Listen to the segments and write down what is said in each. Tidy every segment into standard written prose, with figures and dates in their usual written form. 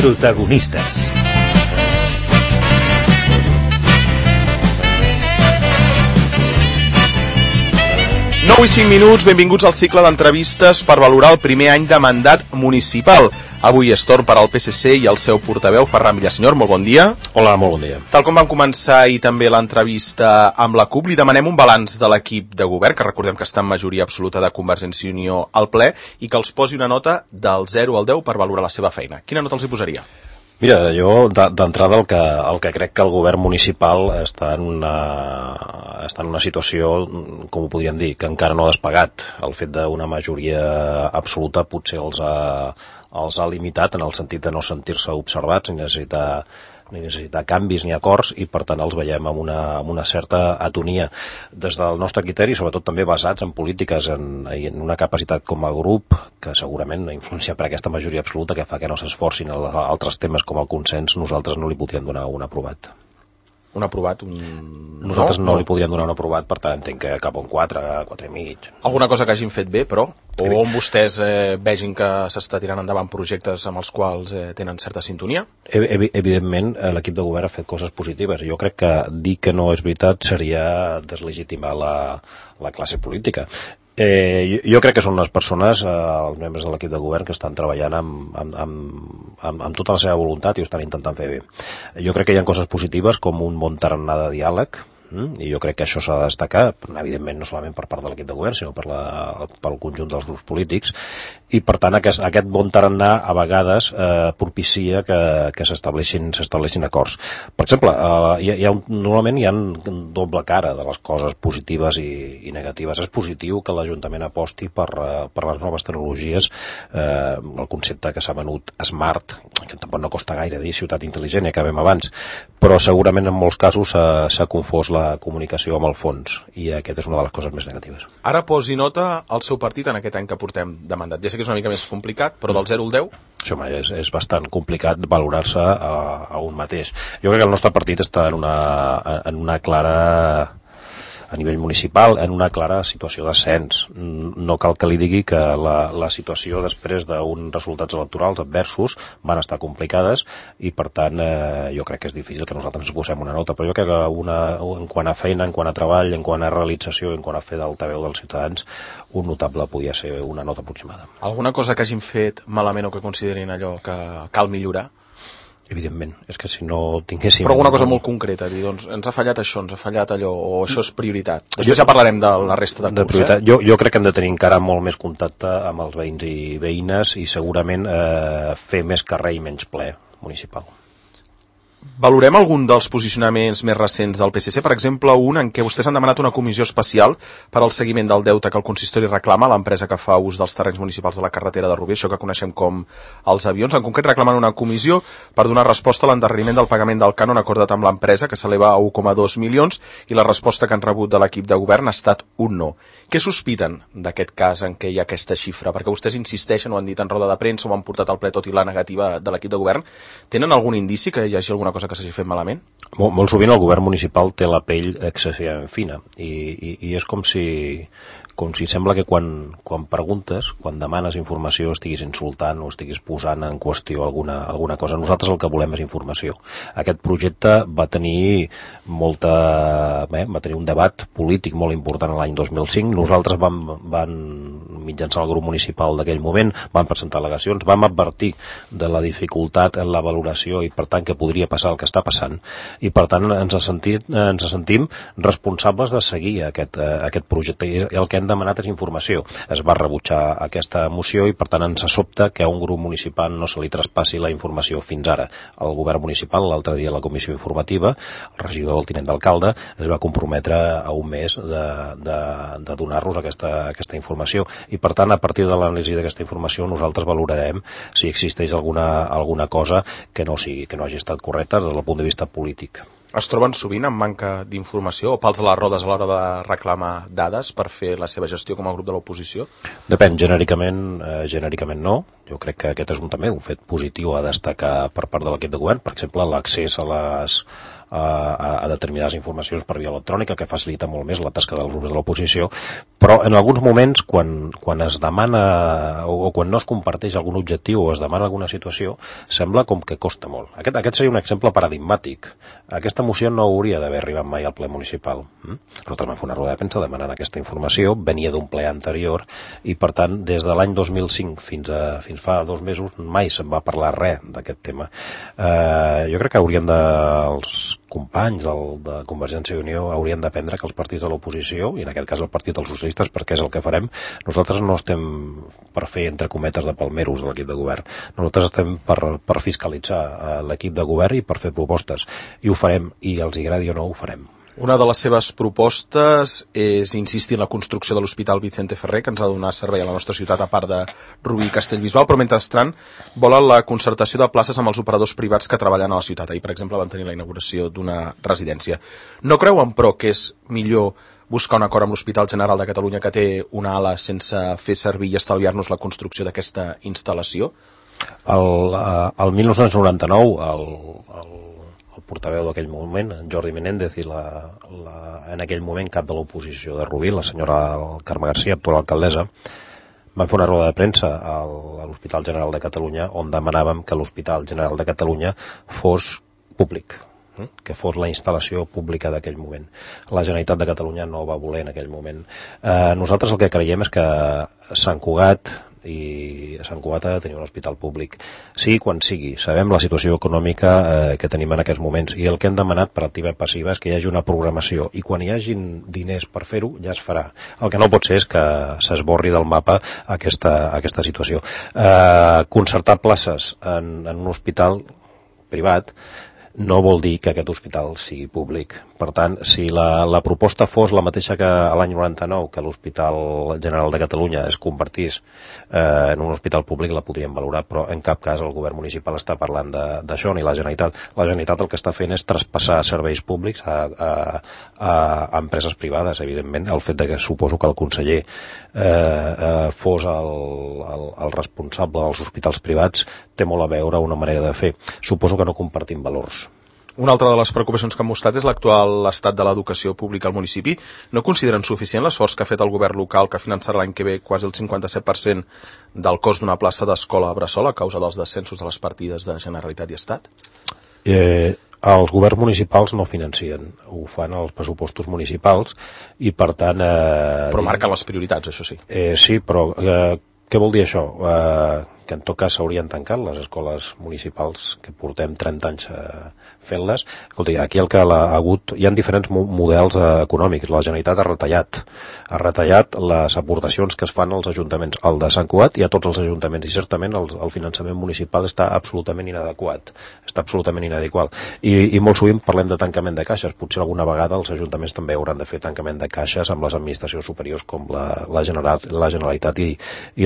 Protagonistes. 9:05, benvinguts al cicle d'entrevistes per valorar el primer any de mandat municipal. Avui és torn per al PSC i el seu portaveu, Ferran Villasenyor. Molt bon dia. Hola, molt bon dia. Tal com vam començar ahir també l'entrevista amb la CUP, li demanem un balanç de l'equip de govern, que recordem que està en majoria absoluta de Convergència i Unió al ple, i que els posi una nota del 0 al 10 per valorar la seva feina. Quina nota els hi posaria? Mira, jo d'entrada el que crec que el govern municipal està en una situació, com ho podríem dir, que encara no ha despegat. El fet d'una majoria absoluta potser els ha limitat en el sentit de no sentir-se observats ni necessitar canvis ni acords, i per tant els veiem amb una certa atonia. Des del nostre criteri, sobretot també basats en polítiques, en una capacitat com a grup que segurament influencia per aquesta majoria absoluta que fa que no s'esforcin en altres temes com el consens, nosaltres no li podríem donar un aprovat. Un aprovat? Nosaltres no li podríem donar un aprovat, per tant entenc que cap a un 4, 4 i mig. Alguna cosa que hagin fet bé, però? O on vostès vegin que s'està tirant endavant projectes amb els quals tenen certa sintonia? Evidentment, l'equip de govern ha fet coses positives. Jo crec que dir que no és veritat seria deslegitimar la classe política. Jo crec que són les persones, els membres de l'equip de govern, que estan treballant amb tota la seva voluntat i ho estan intentant fer bé. Jo crec que hi ha coses positives com un bon tarannà de diàleg, i jo crec que això s'ha de destacar, evidentment no solament per part de l'equip de govern, sinó pel conjunt dels grups polítics, i per tant aquest bon tarannà a vegades propicia que s'estableixin acords. Per exemple, normalment hi ha doble cara de les coses positives i negatives. És positiu que l'Ajuntament aposti per les noves tecnologies, el concepte que s'ha venut Smart, que tampoc no costa gaire dir ciutat intel·ligent, ja acabem abans, però segurament en molts casos s'ha confós la comunicació amb el fons, i aquesta és una de les coses més negatives. Ara posi nota al seu partit en aquest any que portem de mandat. Ja sé que és una mica més complicat, però del 0 al 10? Això és bastant complicat valorar-se a un mateix. Jo crec que el nostre partit està en una clara, a nivell municipal, en una clara situació d'ascens. No cal que li digui que la situació després d'uns resultats electorals adversos van estar complicades, i per tant jo crec que és difícil que nosaltres ens posem una nota, però jo crec que en quant a feina, en quant a treball, en quant a realització, en quant a fer d'altaveu dels ciutadans, un notable podia ser una nota aproximada. Alguna cosa que hagin fet malament o que considerin allò que cal millorar? Evidentment, és que si no tinguéssim... Però alguna cosa molt concreta, dir, doncs ens ha fallat això, ens ha fallat allò, o això és prioritat. Després ja parlarem de la resta de curs. Jo crec que hem de tenir encara molt més contacte amb els veïns i veïnes, i segurament fer més carrer i menys ple municipal. Valorem algun dels posicionaments més recents del PSC, per exemple, un en què vostès han demanat una comissió especial per al seguiment del deute que el consistori reclama a l'empresa que fa ús dels terrenys municipals de la carretera de Rubí, això que coneixem com els avions. En concret reclamen una comissió per donar resposta a l'endarreriment del pagament del cànon acordat amb l'empresa, que s'eleva a 1,2 milions, i la resposta que han rebut de l'equip de govern ha estat un no. Què sospiten d'aquest cas en què hi ha aquesta xifra? Perquè vostès insisteixen, ho han dit en roda de premsa, ho han portat al ple tot i la negativa de l'equip de govern. Tenen algun indici que hi hagi alguna cosa que s'hagi fet malament? Molt sovint el govern municipal té la pell excessivament fina, i és com si sembla que quan preguntes, quan demanes informació, estiguis insultant o estiguis posant en qüestió alguna cosa. Nosaltres el que volem és informació. Aquest projecte va tenir un debat polític molt important l'any 2005. Nosaltres vam mitjançant el grup municipal d'aquell moment, vam presentar al·legacions, vam advertir de la dificultat en la valoració i per tant que podria passar el que està passant, i per tant ens sentim responsables de seguir aquest projecte, i el que hem demanat és informació. Es va rebutjar aquesta moció i per tant ens sobta que a un grup municipal no se li traspassi la informació fins ara. El govern municipal, l'altre dia a la comissió informativa, el regidor, el tinent d'alcalde, es va comprometre a un mes de donar-nos aquesta informació, i per tant a partir de l'anàlisi d'aquesta informació nosaltres valorarem si existeix alguna cosa que no hagi estat correcta des del punt de vista polític. Es troben sovint amb manca d'informació o pals a les rodes a l'hora de reclamar dades per fer la seva gestió com a grup de l'oposició? Depèn, genèricament no. Jo crec que aquest és també un fet positiu a destacar per part de l'equip de govern. Per exemple, l'accés a a determinades informacions per via electrònica, que facilita molt més la tasca dels grups de l'oposició, però en alguns moments, quan es demana o quan no es comparteix algun objectiu o es demana alguna situació, sembla com que costa molt. Aquest seria un exemple paradigmàtic. Aquesta moció no hauria d'haver arribat mai al ple municipal. Nosaltres vam fer una roda de premsa demanant aquesta informació, venia d'un ple anterior i, per tant, des de l'any 2005 fins fa 2 mesos mai se'n va parlar res d'aquest tema. Jo crec que els companys de Convergència i Unió haurien d'aprendre que els partits de l'oposició, i en aquest cas el Partit dels Socialistes, perquè és el que farem, nosaltres no estem per fer, entre cometes, de palmeros de l'equip de govern. Nosaltres estem per fiscalitzar l'equip de govern i per fer propostes. I ho farem, i els agradi o no, ho farem. Una de les seves propostes és insistir en la construcció de l'Hospital Vicente Ferrer, que ens ha de donar servei a la nostra ciutat, a part de Rubí i Castellbisbal, però mentrestant volen la concertació de places amb els operadors privats que treballen a la ciutat. Ahir, per exemple, van tenir la inauguració d'una residència. No creuen, però, que és millor buscar un acord amb l'Hospital General de Catalunya, que té una ala sense fer servir i estalviar-nos la construcció d'aquesta instal·lació? El 1999, el portaveu d'aquell moment, en Jordi Menéndez, i en aquell moment cap de l'oposició de Rubí, la senyora Carme García, actual alcaldessa, van fer una roda de premsa a l'Hospital General de Catalunya on demanàvem que l'Hospital General de Catalunya fos públic, que fos la instal·lació pública d'aquell moment. La Generalitat de Catalunya no va voler en aquell moment. Nosaltres el que creiem és que Sant Cugat ha de tenir un hospital públic. Sigui quan sigui. Sabem la situació econòmica que tenim en aquests moments i el que hem demanat per activa i passiva és que hi hagi una programació i quan hi hagin diners per fer-ho ja es farà. El que no pot ser és que s'esborri del mapa aquesta situació. Concertar places en un hospital privat no vol dir que aquest hospital sigui públic. Per tant, si la proposta fos la mateixa que l'any 99, que l'Hospital General de Catalunya es convertís en un hospital públic, la podríem valorar, però en cap cas el govern municipal està parlant d'això, ni la Generalitat. La Generalitat el que està fent és traspassar serveis públics a empreses privades, evidentment. El fet que suposo que el conseller fos el responsable dels hospitals privats té molt a veure una manera de fer. Suposo que no compartim valors. Una altra de les preocupacions que han mostrat és l'actual estat de l'educació pública al municipi. No consideren suficient l'esforç que ha fet el govern local, que finançarà l'any que ve quasi el 57% del cost d'una plaça d'escola a Bressol a causa dels descensos de les partides de Generalitat i Estat? Els governs municipals no financien, ho fan els pressupostos municipals i per tant... Però marquen les prioritats, això sí. Sí, però què vol dir això? Que en tot cas s'haurien tancat les escoles municipals que portem 30 anys fent-les. Escolta, aquí el que ha hagut... Hi ha diferents models econòmics. La Generalitat ha retallat les aportacions que es fan als ajuntaments, al de Sant Cugat i a tots els ajuntaments, i certament el finançament municipal està absolutament inadequat, està absolutament inadequat. I molt sovint parlem de tancament de caixes. Potser alguna vegada els ajuntaments també hauran de fer tancament de caixes amb les administracions superiors com la Generalitat i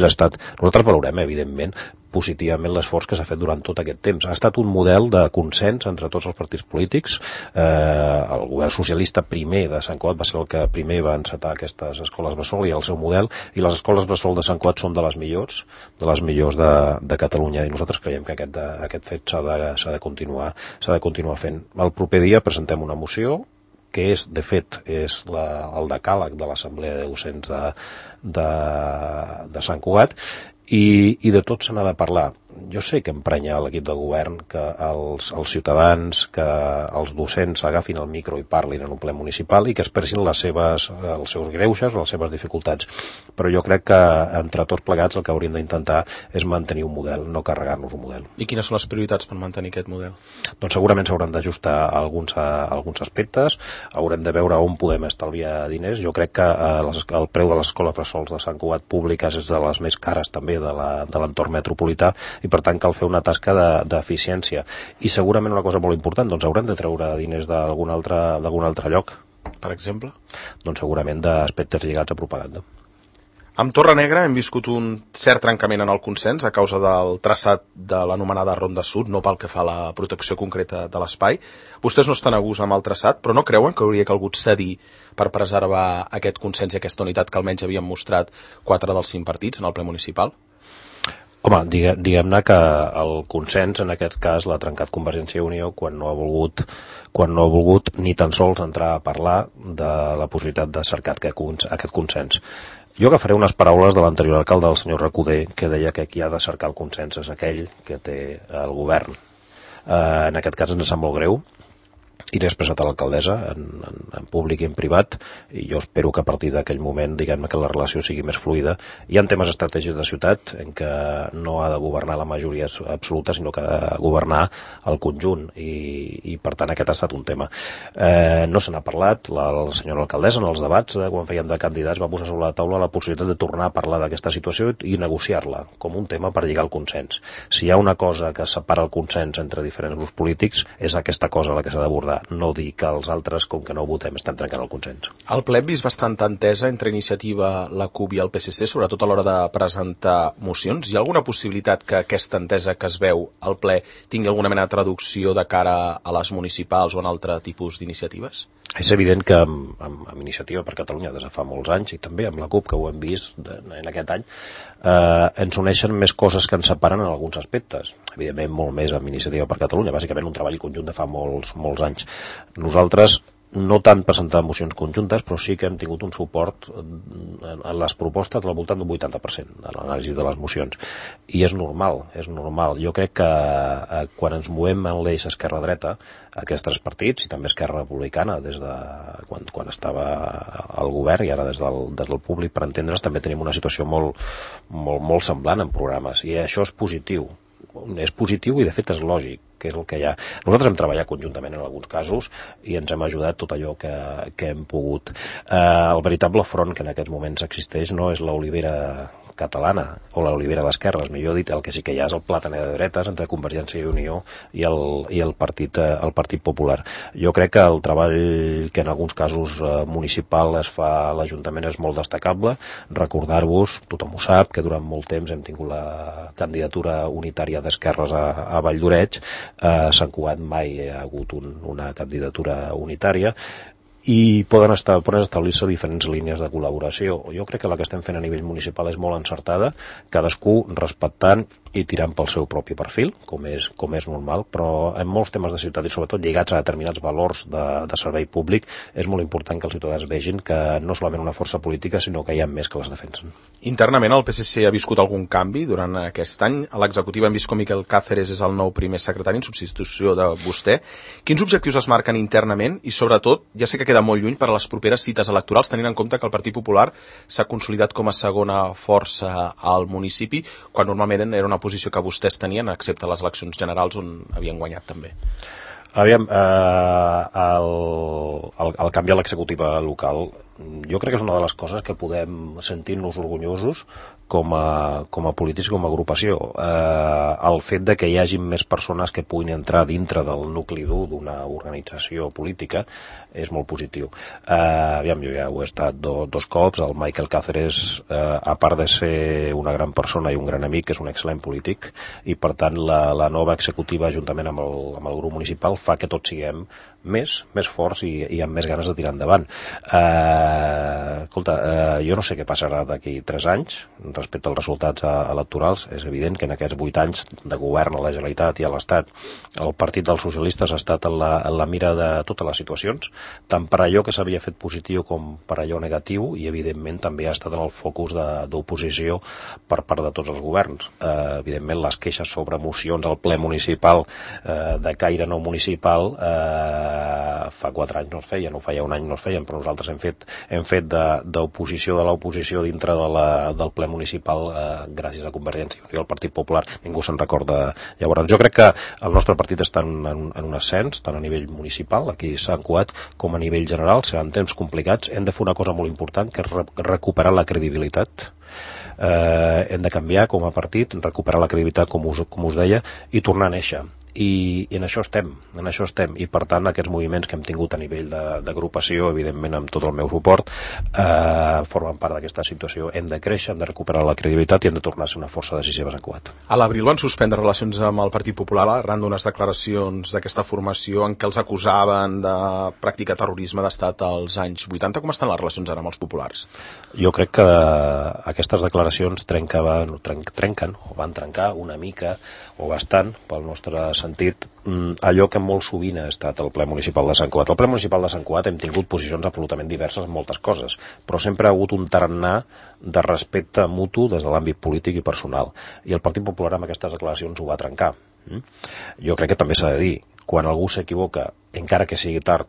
l'Estat. Nosaltres valorem, evidentment, positivament l'esforç que s'ha fet durant tot aquest temps. Ha estat un model de consens entre tots els partits polítics. El govern socialista primer de Sant Cugat va ser el que primer va encetar aquestes escoles bressol i el seu model, i les escoles bressol de Sant Cugat són de les millors de Catalunya, i nosaltres creiem que aquest fet s'ha de continuar fent. El proper dia presentem una moció que de fet és el decàleg de l'Assemblea de Docents de Sant Cugat, i de tot se n'ha de parlar. Jo sé que emprenya l'equip de govern que els ciutadans, que els docents agafin el micro i parlin en un ple municipal i que expressin els seus greuges o les seves dificultats. Però jo crec que entre tots plegats el que hauríem d'intentar és mantenir un model, no carregar-nos un model. I quines són les prioritats per mantenir aquest model? Doncs segurament s'hauran d'ajustar alguns aspectes, haurem de veure on podem estalviar diners. Jo crec que el preu de les escoles bressols de Sant Cugat públiques és de les més cares també de l'entorn metropolità, i per tant cal fer una tasca d'eficiència. I segurament una cosa molt important, doncs haurem de treure diners d'algun altre lloc. Per exemple? Doncs segurament d'aspectes lligats a propaganda. Amb Torrenegra hem viscut un cert trencament en el consens a causa del traçat de l'anomenada Ronda Sud, no pel que fa a la protecció concreta de l'espai. Vostès no estan a gust amb el traçat, però no creuen que hauria calgut cedir per preservar aquest consens i aquesta unitat que almenys havien mostrat 4 dels 5 partits en el ple municipal? Home, diguem-ne que el consens en aquest cas l'ha trencat Convergència i Unió quan no ha volgut ni tan sols entrar a parlar de la possibilitat de cercar aquest consens. Jo agafaré unes paraules de l'anterior alcalde, del senyor Recoder, que deia que qui ha de cercar el consens és aquell que té el govern. En aquest cas ens sap molt greu, i l'he expressat a l'alcaldessa en públic i en privat, i jo espero que a partir d'aquell moment, diguem-ne, que la relació sigui més fluida. Hi ha temes estratègics de ciutat en què no ha de governar la majoria absoluta, sinó que ha de governar el conjunt, i per tant aquest ha estat un tema. No se n'ha parlat, la senyora alcaldessa en els debats, quan fèiem de candidats, va posar sobre la taula la possibilitat de tornar a parlar d'aquesta situació i negociar-la com un tema per lligar el consens. Si hi ha una cosa que separa el consens entre diferents grups polítics, és aquesta cosa la que s'ha d'abordar, no dir que els altres, com que no votem, estem trencant el consens. El ple hem vist bastanta entesa entre Iniciativa, la CUP i el PSC, sobretot a l'hora de presentar mocions. Hi ha alguna possibilitat que aquesta entesa que es veu al ple tingui alguna mena de traducció de cara a les municipals o en altre tipus d'iniciatives? És evident que amb Iniciativa per Catalunya des de fa molts anys, i també amb la CUP, que ho hem vist en aquest any, ens uneixen més coses que ens separen en alguns aspectes. Evidentment molt més amb Iniciativa per Catalunya, bàsicament un treball conjunt de fa molts anys. Nosaltres no tant presentar mocions conjuntes, però sí que hem tingut un suport en les propostes al voltant d'un 80% de l'anàlisi de les mocions. I és normal. Jo crec que quan ens movem en l'eix esquerra-dreta, aquests tres partits, i també Esquerra Republicana, des de quan estava al govern i ara des del públic, per entendre's, també tenim una situació molt semblant en programes, i això és positiu. És positiu i de fet és lògic, que és el que hi ha. Nosaltres hem treballat conjuntament en alguns casos i ens hem ajudat tot allò que hem pogut. El veritable front que en aquests moments existeix no és l'olivera catalana o l'olivera d'esquerres, millor dit, el que sí que hi ha és el plàtaner de dretes entre Convergència i Unió i el Partit Popular. Jo crec que el treball que en alguns casos municipal es fa a l'Ajuntament és molt destacable. Recordar-vos, tothom ho sap, que durant molt temps hem tingut la candidatura unitària d'esquerres a Vall d'Oreig. A Sant Cugat mai hi ha hagut una candidatura unitària, i poden establir-se diferents línies de col·laboració. Jo crec que la que estem fent a nivell municipal és molt encertada, cadascú respectant i tirant pel seu propi perfil, com és normal, però en molts temes de ciutat i sobretot lligats a determinats valors de servei públic, és molt important que els ciutadans vegin que no solament una força política, sinó que hi ha més que les defensen. Internament el PSC ha viscut algun canvi durant aquest any? A l'executiva hem vist com Miquel Cáceres és el nou primer secretari en substitució de vostè. Quins objectius es marquen internament i sobretot, ja sé que queda molt lluny per a les properes cites electorals, tenint en compte que el Partit Popular s'ha consolidat com a segona força al municipi, quan normalment era una posició que vostès tenien, excepte les eleccions generals on havien guanyat també. Aviam, el canvi a l'executiva local jo crec que és una de les coses que podem sentir-nos orgullosos com a polítics i com a agrupació. El fet de que hi hagi més persones que puguin entrar dintre del nucli dur d'una organització política és molt positiu. Aviam, jo ja ho he estat dos cops. El Miquel Cáceres, a part de ser una gran persona i un gran amic, és un excel·lent polític, i per tant la nova executiva juntament amb el grup municipal fa que tots siguem més forts i amb més ganes de tirar endavant. Escolta, jo no sé què passarà d'aquí 3 anys respecte als resultats electorals. És evident que en aquests 8 anys de govern a la Generalitat i a l'Estat el Partit dels Socialistes ha estat en la mira de totes les situacions, tant per allò que s'havia fet positiu com per allò negatiu, i evidentment també ha estat en el focus d'oposició per part de tots els governs. Evidentment les queixes sobre mocions al ple municipal de caire no municipal fa 4 anys no es feien, o feia un any no es feien, però nosaltres hem fet d'oposició de l'oposició dintre del ple municipal gràcies a Convergència i al Partit Popular. Ningú se'n recorda. Llavors, jo crec que el nostre partit està en un ascens, tant a nivell municipal, aquí a Sant Cugat, com a nivell general. Seran temps complicats. Hem de fer una cosa molt important, que és recuperar la credibilitat. Hem de canviar com a partit, recuperar la credibilitat, com us deia, i tornar a néixer. i en això estem, i per tant aquests moviments que hem tingut a nivell d'agrupació, evidentment amb tot el meu suport, formen part d'aquesta situació. Hem de créixer, hem de recuperar la credibilitat i hem de tornar a ser una força decisiva a Sant Cugat. A l'abril van suspendre relacions amb el Partit Popular arran d'unes declaracions d'aquesta formació en què els acusaven de practicar terrorisme d'estat als anys 80. Com estan les relacions ara amb els populars? Jo crec que aquestes declaracions trenquen o van trencar una mica o bastant, pel nostre sentit, allò que molt sovint ha estat el ple municipal de Sant Cugat. Al ple municipal de Sant Cugat hem tingut posicions absolutament diverses en moltes coses, però sempre ha hagut un tarannà de respecte mutu des de l'àmbit polític i personal. I el Partit Popular amb aquestes declaracions ho va trencar. Jo crec que també s'ha de dir, quan algú s'equivoca, encara que sigui tard,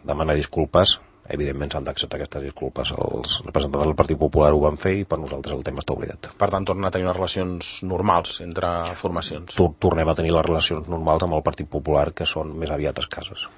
demana disculpes, evidentment s'han d'acceptar aquestes disculpes. Els representants del Partit Popular ho van fer i per nosaltres el tema està oblidat. Per tant, tornen a tenir unes relacions normals entre formacions. Tornem a tenir les relacions normals amb el Partit Popular, que són més aviat escasses.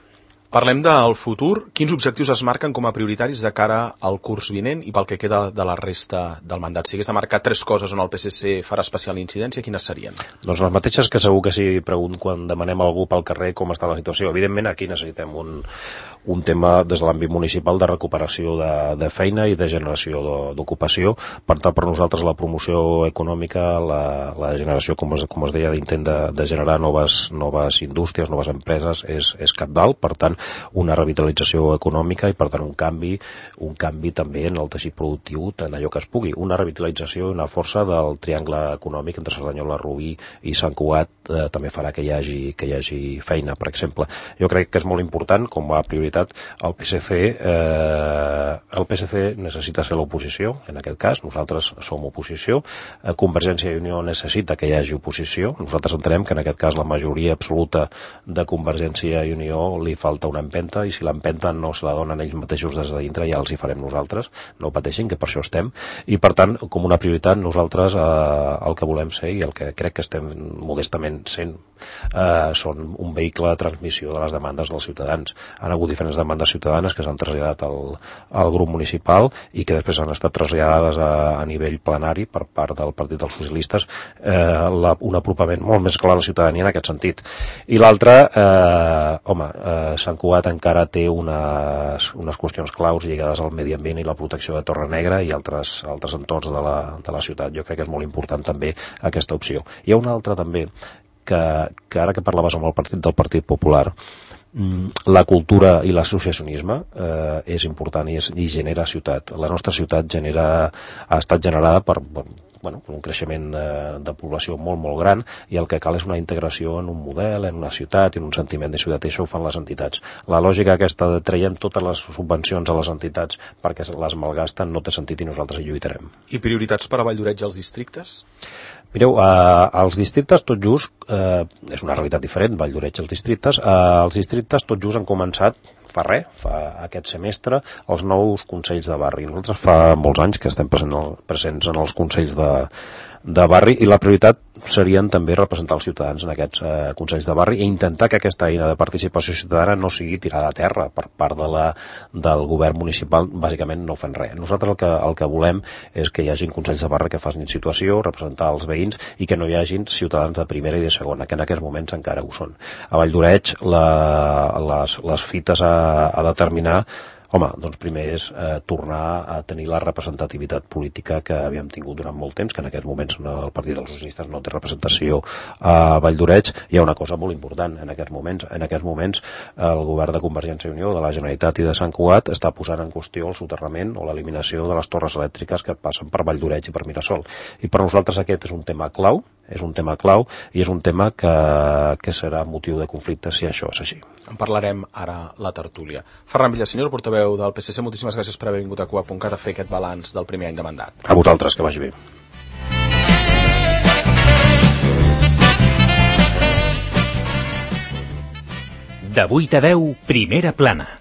Parlem del futur. Quins objectius es marquen com a prioritaris de cara al curs vinent i pel que queda de la resta del mandat? Si hagués de marcar 3 coses on el PSC farà especial incidència, quines serien? Doncs les mateixes que segur que si pregunto quan demanem a algú pel carrer com està la situació. Evidentment aquí necessitem un tema des de l'àmbit municipal de recuperació de feina i de generació d'ocupació. Per tant, per nosaltres la promoció econòmica, la generació, com es deia, d'intent de generar noves indústries, noves empreses és cabdal. Per tant, una revitalització econòmica i per tant un canvi també en el teixit productiu en allò que es pugui, una revitalització i una força del triangle econòmic entre Cerdanyola, Rubí i Sant Cugat també farà que hi hagi feina, per exemple. Jo crec que és molt important, com a prioritat, el PSC necessita ser l'oposició, en aquest cas, nosaltres som oposició, Convergència i Unió necessita que hi hagi oposició, nosaltres entenem que en aquest cas la majoria absoluta de Convergència i Unió li falta una empenta i si l'empenta no se la donen ells mateixos des de dintre ja els hi farem nosaltres, no pateixin que per això estem i per tant com una prioritat nosaltres el que volem ser i el que crec que estem modestament sent són un vehicle de transmissió de les demandes dels ciutadans. Han hagut diferents demandes ciutadanes que s'han traslladat al grup municipal i que després han estat traslladades a nivell plenari per part del Partit dels Socialistes, un apropament molt més clar a la ciutadania en aquest sentit. I l'altre, Sant Cugat encara té unes qüestions claus lligades al medi ambient i la protecció de Torre Negra i altres entorns de la ciutat. Jo crec que és molt important també aquesta opció. Hi ha una altra també que ara que parlaves amb el partit del Partit Popular, la cultura i l'associacionisme és important i genera ciutat. La nostra ciutat ha estat generada per un creixement de població molt, molt gran i el que cal és una integració en un model, en una ciutat, en un sentiment de ciutat i això ho fan les entitats. La lògica aquesta de traiem totes les subvencions a les entitats perquè les malgasten no té sentit i nosaltres hi lluitarem. I prioritats per a Valldoreix als districtes? Mireu, als districtes tot just, és una realitat diferent, Valldoreix als districtes tot just han començat fa aquest semestre els nous consells de barri. Nosaltres fa molts anys que estem presents en els consells de barri i la prioritat serien també representar els ciutadans en aquests consells de barri i intentar que aquesta eina de participació ciutadana no sigui tirada a terra per part del govern municipal, bàsicament no fent res. Nosaltres el que volem és que hi hagin consells de barri que facin situació, representar els veïns i que no hi hagin ciutadans de primera i de segona, que en aquests moments encara ho són. A Valldoreix les fites a determinar doncs primer és tornar a tenir la representativitat política que havíem tingut durant molt temps, que en aquests moments el Partit dels Socialistes no té representació a Valldoreix. Hi ha una cosa molt important en aquests moments el govern de Convergència i Unió, de la Generalitat i de Sant Cugat està posant en qüestió el soterrament o l'eliminació de les torres elèctriques que passen per Valldoreix i per Mirasol. I per nosaltres aquest és un tema clau i és un tema que serà motiu de conflicte si això és així. En parlarem ara la tertúlia. Ferran Villaseñor, portaveu del PSC, moltíssimes gràcies per haver vingut a Cugat.cat a fer aquest balanç del primer any de mandat. A vosaltres, que vagi bé. De 8 a 10, Primera Plana.